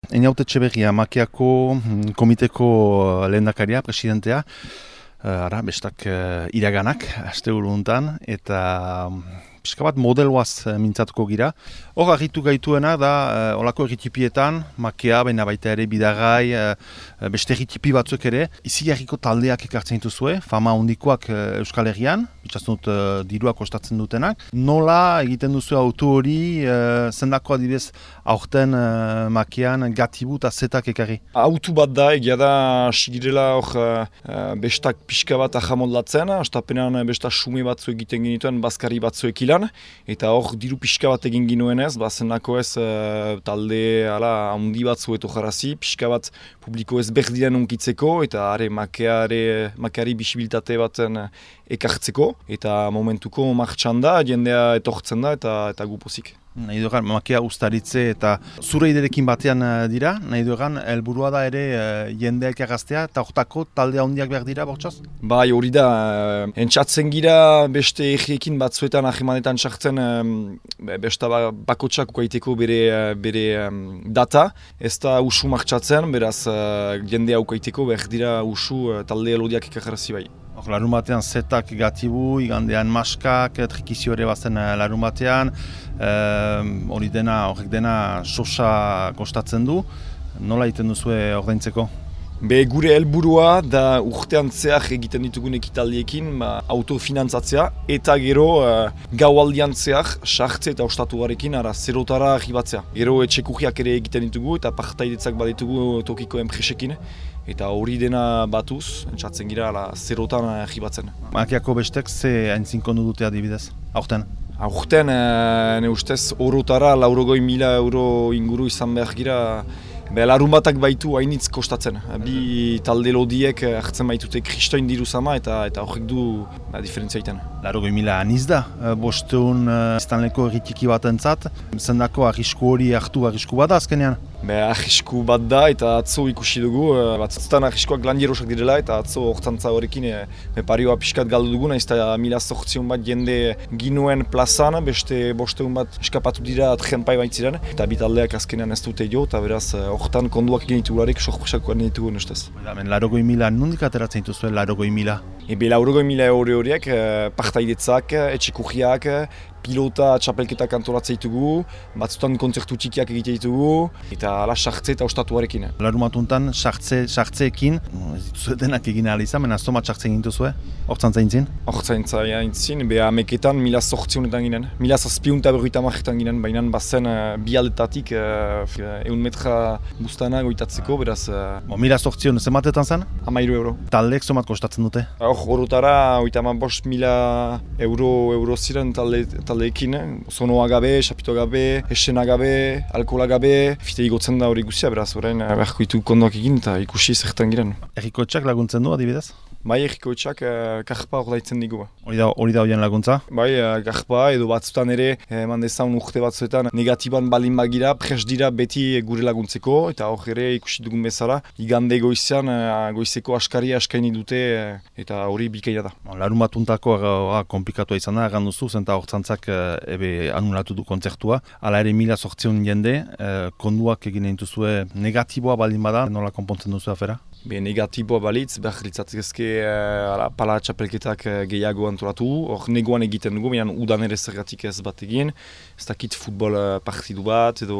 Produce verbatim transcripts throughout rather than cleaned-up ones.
Einaute Etxeberria, Makeako mm, komiteko lehendakaria, presidentea, uh, ara, bestak uh, iraganak, aste uruntan, eta um, pixka bat modeloaz uh, mintzatuko gira. Hor, argitu gaituena da, uh, olako erritipietan, Makea, baina baita ere bidagai, uh, beste erritipi batzuk ere, izi jarriko taldeak ekartzen dituzue, fama hondikoak uh, Euskal Herrian, bitxatzen dut uh, dirua kostatzen dutenak. Nola egiten duzu auto hori, uh, zendako adibidez aurten uh, Makean gatibu eta zetak ekarri? Autu bat da, egia da, sigirela hor uh, bestak pixka bat ahamoldatzen, astapenean besta sume batzu egiten genituen, bazkari batzuek ilan, eta hor diru pixka bat egin ginoenez, bazenako ez uh, talde ala handi batzu eto jarazi, pixka bat publiko ez berdian unkitzeko, eta are Makeare, Makeari bisibilitate baten ekartzeko, eta momentuko martxan da, jendea etortzen da, eta, eta gupozik. Nahi dugan, Makea ustaritze eta zure iderekin batean dira, nahi dugan, helburua da ere uh, jendeak agaztea eta hortako talde handiak behar dira, bortxaz? Bai, hori da, uh, entzatzen gira beste egiekin batzuetan ahemanetan sartzen um, besta bakotsak ukaiteko bere, uh, bere um, data, ez da usu martxatzen, beraz uh, jendea ukaiteko behar dira usu uh, talde elodiak ikajarrazi bai. Larun batean zetak gatibu, igandean maskak, trikizio ere bazen larun batean, hori e, dena, horrek dena sosa kostatzen du, nola egiten duzue ordaintzeko? Be gure helburua da urtean zehar egiten ditugun ekitaldiekin ba, autofinantzatzea eta gero uh, gaualdian zehar sartze eta ostatuarekin ara zerotara arribatzea. Gero etxekurriak ere egiten ditugu eta partaidetzak baditugu tokiko enpresekin. Eta hori dena batuz, entzatzen gira ala zerotan arribatzen. Makeako bestek ze aintzinkondu dute adibidez, aurten? Aurten, e, ne ustez, orotara laurogoi mila euro inguru izan behar gira. Be, larun batak baitu hainitz kostatzen. Bi talde lodiek hartzen baitute kristoin diru zama eta eta horrek du ba, diferentzia egiten. Larogoi mila aniz da, bosteun iztanleko erritiki bat entzat, zendako arrisku hori hartu arrisku bat da azkenean? Be, arrisku bat da eta atzo ikusi dugu, batzutan arriskuak landierosak direla eta atzo hortzantza horrekin e, parioa pixkat galdu dugu, nahiz eta mila zortzion bat jende ginuen plazan, beste bosteun bat eskapatu dira trenpai baitziren, eta bitaldeak azkenean ez dute jo, eta beraz hortan konduak egin ditugularek sorpresakoak egin ditugu nustez. Larogoi mila nondik ateratzen dituzuen larogoi mila? Ebe larogoi mila euro horiek, partaidetzak, etxekurriak, pilota txapelketak antolatzen ditugu, batzutan kontzertu txikiak egite ditugu, eta ala sartze eta ostatuarekin. Larun batuntan sartze, sartzeekin, ez dituzue denak egin ahal izan, baina zomat sartze egin duzue, hortzantza intzin? Hortzantza intzin, beha ameketan mila sortzionetan ginen, mila zazpiun eta berroita marretan ginen, baina bazen uh, bi aldetatik uh, eun metra buztana goitatzeko, beraz... Uh, Bo, mila sortzion, zematetan zen? Amairu euro. Taldeek zomat kostatzen dute? Hor, horotara, oita ma bost mila euro, euro ziren talde, taldeekin, zonoa gabe, xapito gabe, esena gabe, alkohola gabe, fite igotzen da hori guzia, beraz, orain beharko ditu kondoak egin eta ikusi zertan giren. Errikoetxak laguntzen du, adibidez? Bai, errikoetxak uh, karpa ordaitzen digu. Hori da, hori da horien laguntza? Bai, uh, karpa edo batzutan ere, eman dezaun urte batzuetan, negatiban balin bagira, pres dira beti gure laguntzeko, eta hor ere ikusi dugun bezala, igande goizean, uh, goizeko askari askaini dute, uh, eta hori bikaina da. Larun batuntako uh, komplikatua izan da, egan duzu, zenta hortzantzak uh, ebe anulatu du kontzertua, ala ere mila sortzion jende, uh, konduak egin dituzue negatiboa baldin bada, nola konpontzen duzu afera? Be, negatiboa balitz, behar litzatzezke uh, pala txapelketak uh, gehiago antolatu, hor negoan egiten dugu, baina udan ere zergatik ez bat egin, ez dakit futbol uh, partidu bat, edo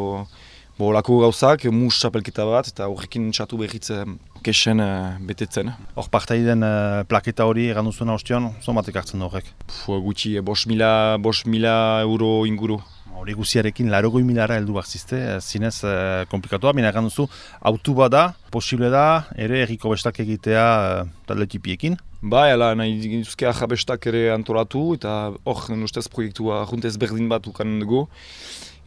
bo, lako gauzak, mus txapelketa bat, eta horrekin txatu berriz uh, kesen uh, betetzen. Hor partaiden uh, plaketa hori egan duzuna ostion, zomatek hartzen da horrek? Puh, gutxi, bost mila, bost mila euro inguru. Hori guziarekin larogoi milara heldu barzizte, zinez eh, komplikatua, bina egan duzu, autu bada, posible da, ere erriko bestak egitea eh, talde tipiekin? Bai, ala, nahi dituzke ahabestak ere antolatu, eta hor, nustez proiektua juntez berdin bat ukanen dugu.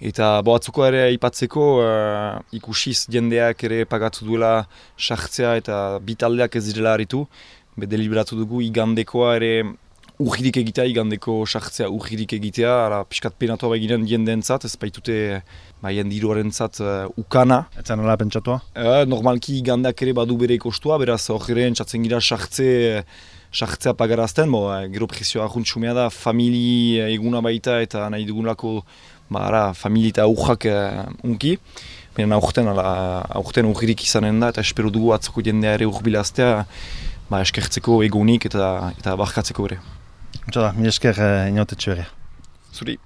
Eta boatzuko ere aipatzeko uh, ikusiz jendeak ere pagatu duela sartzea eta bitaldeak ez direla haritu. Be deliberatu dugu igandekoa ere urgirik egitea, igandeko sartzea urgirik egitea, ara piskat penatua beginen jendeentzat, ez baitute ba, jendiruarentzat uh, ukana. Ez zen ala pentsatua? Uh, normalki igandeak ere badu bere kostua, beraz hor ere entzatzen gira sartze, sartzea pagarazten, bo, uh, gero presioa ahuntxumea da, famili eguna baita eta nahi dugunlako ba, familia eta urrak uh, unki. baina aurten, ala, aurten urririk izanen da, eta espero dugu atzoko jendea ere urbilaztea, ba, eskertzeko egunik eta, eta barkatzeko ere. Mila esker, Inautetxe Berria. Zuri.